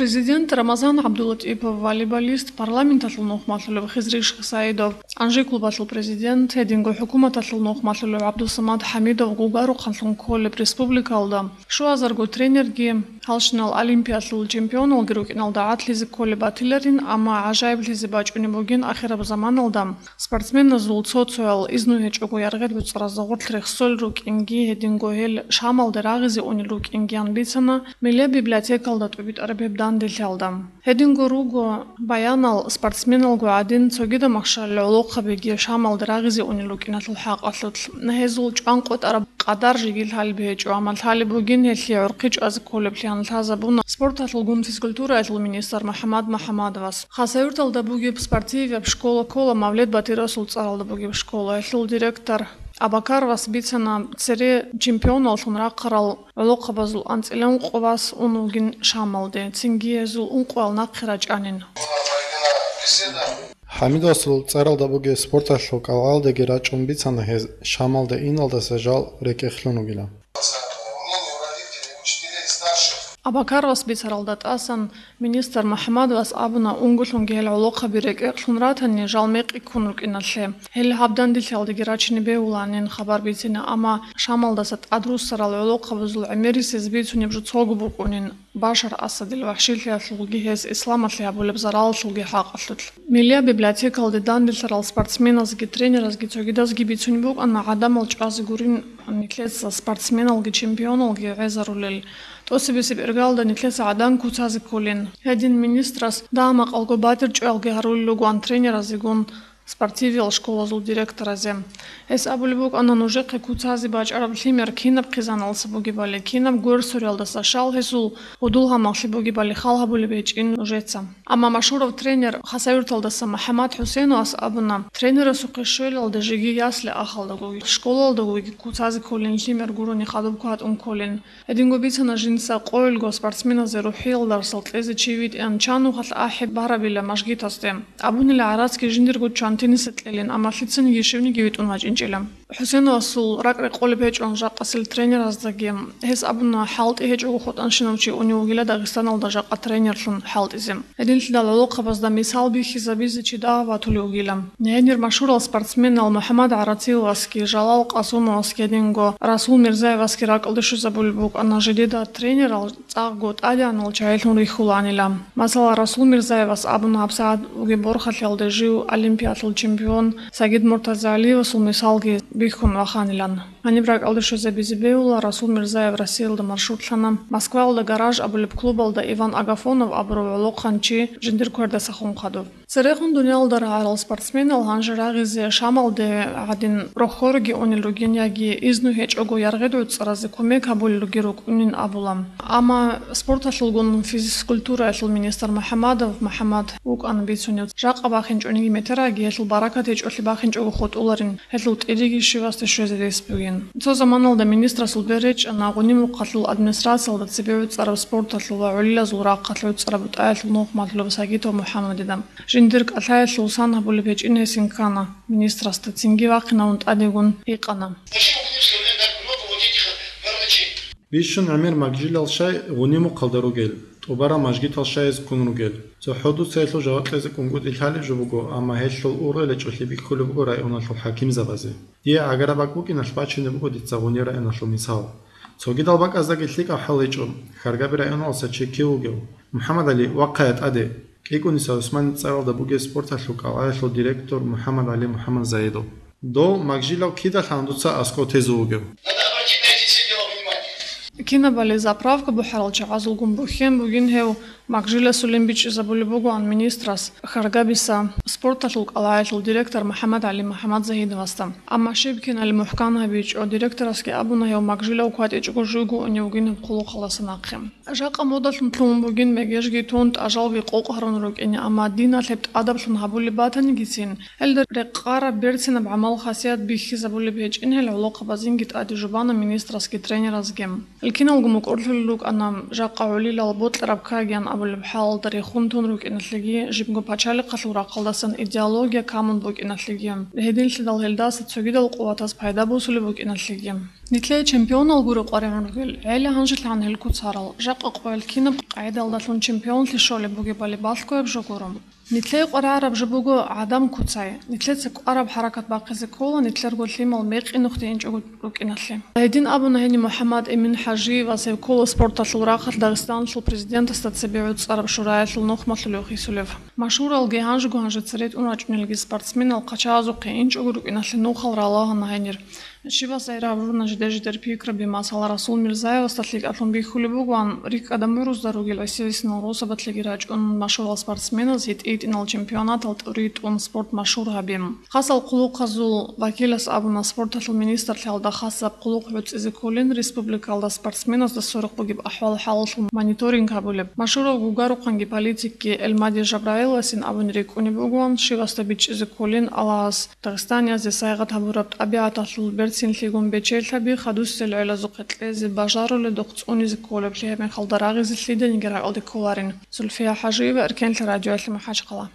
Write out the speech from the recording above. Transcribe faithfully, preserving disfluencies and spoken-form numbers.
Президент Рамазан ГӀабдулатӀипов, волейболист, парламенталъул нухмалъулев Хизри Шихсаидов, Анжи клубалъул президент, гьединго хӀукуматалъул нухмалъулев ГӀабдусамад ХӀамидов гугарухъанлъун кколеб республикалда щуазарго тренерги, гьалщинал олимпиялъул чемпионалги рукӀиналда гӀадлъизе кколеб батиларин, амма гӀажаиблъизе бачӀунеб бугин ахираб заманалда спортсменазул цо-цоял изну гьечӀого яргъел гӀуцӀразда гъорлъ рехсолел рукӀинги, гьединго гьел Шамалде рагъизе унел рукӀингиян бицана Миллияб библиотекалда тӀубитӀараб гьеб данделъиялда. Гьединго руго баянал спортсменалго гӀадин, цогидаб махщалил гӀолохъабиги Шамалде рагъизе унел рукӀиналъул хӀакъалъулъ. Гьезул чӀванкъотӀараб къадар жеги лъалеб гьечӀо, амма лъалеб бугин гьелъие гӀурхъи чӀвазе кколеблъиялъ лъазабуна спорталъулгун физкультураялъул министр МухӀаммад МухӀаммадовас. Хасавюрталда бугеб спортивияб школа ккола Мавлет Батирасул цӀаралда бугеб школа. Гьелъул директор Абакаровас бицана, цере чемпионаллъун рахъарал гӀолохъабазул анцӀила ункъо вас ун вугин Шамалде, цинги гьезул ункъоял нахъе рачӀанин. ХӀамидасул цӀаралда бугеб спорталъул кӀалгӀалдеги рачӀун бицана гьез Шамалде иналдаса жал рекӀекълъун вугилан. Абакаровас бицаралда тӀасан министр МухӀаммадовас абуна, унголъунги гьел гӀолохъаби рекӀекълъун ратани, жал мекъи ккун рукӀиналъе. Гьел гьаб данделъиялдеги рачине бегьуланин хабар бицине, амма Шамалдаса тӀадруссарал гӀолохъабазул гӀемерисез бицунеб жо цого букӀунин, Башар Асадил вахӀшилъиялъулги гьес исламалъе гьабулеб заралалъулги хӀакъалъулъ. Миллияб библиотекалде данделъарал спортсменазги тренеразги цогидазги бицунеб букӀана гӀадамал чӀвазе гурин нилъеца спортсменалги чемпионалги гӀезарулел. ТӀоцебесеб иргалда нилъеца гӀадан куцазе кколин. Гьедин министрас дагьа-макъалго батӀи-чӀваялги гьарулел ругоан тренеразегун спортивиял школазул директоразе. Гьес абулеб букӀана, нужехъе куцазе бачӀараб лъимер кинаб хъизаналдаса бугебали, кинаб гверсуриялдаса, щал гьесул гьудул-гьамаллъи бугебали хал гьабулеб гьечӀин нужеца. Амма машгьурав тренер Хасавюрталдаса МухӀаммад ХӀусеновас абуна, тренерасухъе щвелалде жеги ясли ахалдагоги, школалдагоги куцазе кколин лъимер гурони хадуб кватӀун кколин. Гьединго бицана жинца къойилго спортсменазе рухӀиял дарсал кьезе чи витӀеян чан нухалъ ахӀи барабила мажгитасде. Абунила гӀарацги жиндирго чан тенисе кьелин, амма лъицаниги щивниги витӀун вачӀинчӀила. ХӀусеновасул ракӀ рекъолеб гьечӀо жакъасел тренераздаги. Гьес абуна, хӀалтӀи гьечӀого хутӀанщинав чи унев вугила Дагъистаналда жакъа тренерлъун хӀалтӀизе. Гьединлъидал гӀолохъабазда мисал бихьизабизе чи дагьаб батулев вугила. Гьенир машгьурал спортсменал МухӀаммад ГӀарациловасги, Жалал Къасумовасги гьединго Расул Мирзаевасги ракӀалде щвезабулеб букӀана жидеда тренерал цӀакъго тӀадегӀанал чагӀилъун рихьуланила. Масала, Расул Мирзаевас абуна, гьабсагӀат бугеб борхалъиялда жив олимпиялъул чемпион Сагид Муртазалиевасул мисалги бихьун ваханилан. Гьаниб ракӀалде щвезабизе бегьула, Расул Мирзаев Россиялда маршрутлъана, Москваялда «Гараж» абулеб клубалда Иван Агафонов абурав гӀолохъанчи жиндир квердасахун хадуб. Церехун дуниялалда рагӀарал спортсменал гьанже рагъизе Шамалде гӀадин рохьорги унел ругин яги изну гьечӀого яргъел гӀуцӀразе кумек гьабулел ругел рукӀунин абула. Амма спорталъулгун физкультураялъул министр МухӀаммадов МухӀаммад вукӀана бицунев, жакъа бахинчӀониги метераги гьелъул баракат гьечӀолъи бахинчӀого хутӀуларин. Гьелъул тӀириги щивасде щвезе рес бугин. Цо заманалда министрасул бер речӀчӀана Гъунимухъалъул администрациялда цебе гӀуцӀараб спорталъул ва гӀолилазул рахъалъ гӀуцӀараб бутӀаялъул нухмалъулев Сагитов МухӀаммадида. Жиндир кӀалъаялъул сан гьабулеб гьечӀин гьес инкана министрасда, цинги вахъинавун тӀадегун гьикъана. Почему в Гунибское время так много вот этих врачей? Бищун гӀемер магжилал щай Гъунимухъалда ругел, тӀубарал мажгитал щай гьез ккун ругел. ЦохӀо дуца гьелъул жаваб кьезе кӀунгутӀи лъалеб жо буго, амма гьелъул ургъел гьечӀолъи бихьулеб буго районалъул хӀакимзабазе. Дие гӀагараб бакӀ букӀиналъ бачине буго дица Гъунир районалъул мисал. Цогидал бакӀаздагилъ лъикӀаб хӀал гьечӀо, Хьаргаби районалдаса чи кив вугев? МухӀаммад ГӀали, вахъая тӀаде. КӀикӀуниса ГӀусманил цӀаралда бугеб спорталъул кӀалгӀаялъул директор МухӀаммад ГӀали МухӀаммадзаидов. Дов магжилав кидалъан дуца аскӀов тезе вугев? Кинабали заправка бухӀарал чагӀазулгун бухьен бугин гьев, магжиласулин бичӀчӀизабулеб бугоан министрас Харгабиса спорталъул кӀалгӀаялъул директор МухӀаммад ГӀали МухӀаммадзагьидовасда. Амма щиб кинали мухӀкан гьабичӀо, директорасги абуна, гьев магжилав кватӀичӀого жуйго унев вугин гьеб хъулухъалдаса нахъе. Жакъа модалъун лъугьун бугин мегежги тун, тӀажалги къокъ гьарун рукӀине, амма диналъ гьеб тӀадаблъун гьабулеб батанигицин, гьелда рекъараб берцинаб гӀамал-хасият бихьизабулеб гьечӀин гьел гӀолохъабазинги тӀаде жубана министрасги тренеразги. Гьел киналго мукӀурлъулел рукӀана, жакъа гӀолилал бокьараб кагиян абулеб хӀалалда рехун тун рукӀиналъеги, жибго пачалихъалъул рахъалдасан идеология камун букӀиналъеги, гьединлъидал гьелдаса цогидал къуватаз пайда босулеб букӀиналъеги. Нилъее чемпионал гури къваригӀун ругел, гӀела гьанжелъан гьел куцарал, жакъа къоял кинаб къагӀидалдалъун чемпионлъи щолеб бугебали балъгояб жо гуро. Нилъее къваригӀараб жо буго гӀадан куцай. Нилъеца кӀвараб хӀаракат бахъизе ккола, нилъерго лъимал мекъи нухде инчӀого рукӀиналъе. Гьедин абуна гьениб МухӀаммад Эмин ХӀажиевас, гьев ккола спорталъул рахъалъ Дагъистаналъул президентасда цебе гӀуцӀараб шураялъул нухмалъулев хисулев. Машгьуралги гьанжего гьанже цере тӀун рачӀунелги спортсменал хъачагӀазухъе инчӀого рукӀиналъе нухал ралагьана гьенир. Щибаса гьеб гьабуна жидер-жидер пикраби, масала, Расул Мирзаевасда лъикӀаблъун бихьулеб бугоан, рикӀкӀад гӀумрузда ругел гӀисинал росабалъеги рачӀун машгьурал спортсменаз гьитӀи-гьитӀинал чемпионатал тӀури тӀун спорт машгьур гьабин. Хасал хъулухъазул вакилас абуна, спорталъул министрлъиялда хасаб хъулухъ гӀуцӀизе кколин республикалда спортсменазда сверухъ бугеб ахӀвал-хӀалалъул мониторинг гьабулеб. Машгьурав гугарухъанги политикги Элмади Жабраиласин абуни рикӀкӀунеб бугоан, щибасда бичӀчӀизе кколин Аллагьас Дагъистаниязде сайгъат гьабураб тӀабигӀаталъул берцинлъигун бечелъаби, хадусел гӀелазухъе кьезе бажаруледухъ цӀунизе кколеблъи гьеб мехалда рагъизе лъиданиги ракӀалде кколарин. Зульфия ХӀажиева, Эркенлъи радиоялъ, МахӀачхъала.